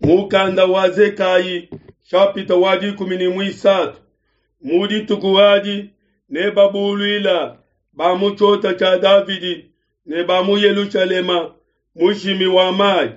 Mukanda wa Zekayi shapita wa 13. Mu dituku adi nebabuluila ba mu tshiota tshia Davidi ne ba mu Yelushalema mushimi wa mayi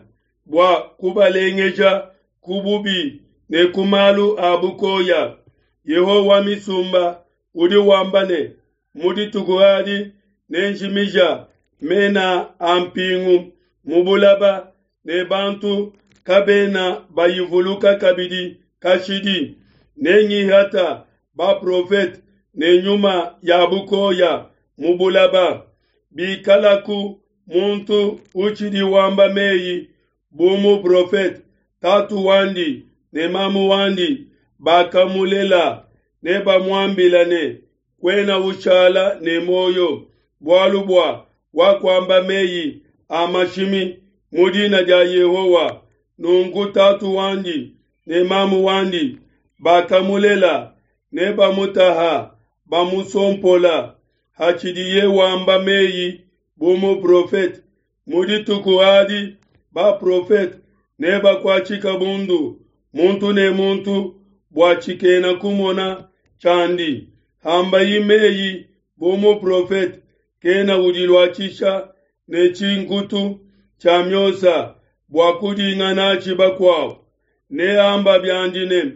bua kubalengeja ku bubi ne ku malu a bukoya. Yehowa wa misumba udi wamba ne, mu dituku adi nenjimija mena a mpingu mu bulaba ne bantu kabena bayivuluka kabidi kashidi. Nengihata baprofete ne nyuma ya bukoya mu bulaba. Bikalaku muntu utshidi wamba meyi bu muprofete, tatu wandi ne mamu wandi bakamulela nebamuambila ne, kuena ushala ne muoyo, bualu bua wakuamba meyi a mashimi mu dina dia Yehowa. Nunku tatu wandi ne mamu wandi bakamulela nebamutaha bamusompola hatshidiye wamba meyi bu muprofete. Mu dituku adi baprofete nebakuatshika bundu, muntu ne muntu bua tshikena kumona tshiandi. Hambayi meyi bu muprofete, kena udiluatshisha ne tshinkutu tshia miosa bua kudinga natshi bakuabo. Neamba biandi ne,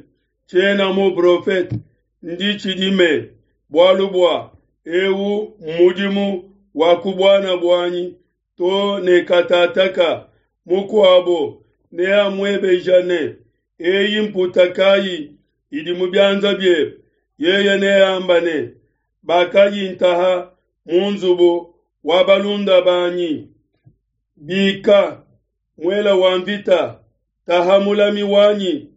tshiena muprofete, ndi tshidime, bualu bua eu mmudimu wa ku buana buanyi to ne katataka. Mukuabo neamuebeja ne, eyi mputa kayi idi mu bianza biebe? Yeye neamba ne, bakayintaha mu nzubu wa balunda banyi. Bika, muela wa mvita, taha mulami wanyi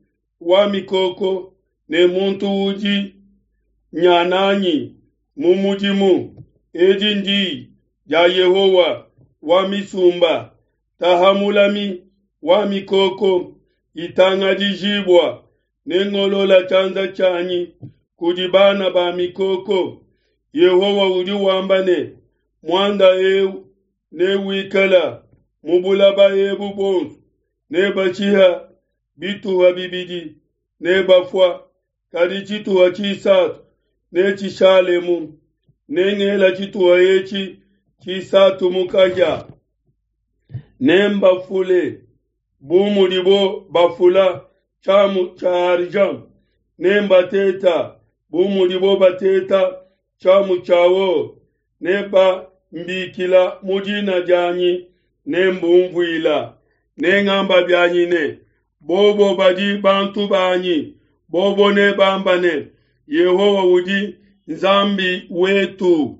wa mikoko ne muntu udi nyananyi mu mudimu. Edi ndi dia Yehowa wa misumba, taha mulami wa mikoko itangadijibua, nengolola tshianza tshianyi kudi bana ba mikoko. Yehowa udi wamba ne, muanda eu newikala mu bulaba ebu buonso, nebashiha bituha bibidi nebafua, kadi tshituha tshisatu netshishalemu. Nengela tshituha etshi tshisatu mu kahia, nembafule bu mudibo bafula tshiamu tshia argent, nembateta bu mudibo bateta tshiamu tshia or. Nebambikila mu dina dianyi, nembumvuila. Nengamba bianyi ne, bobo badi bantu banyi, bobo nebamba ne, Yehowa udi Nzambi wetu.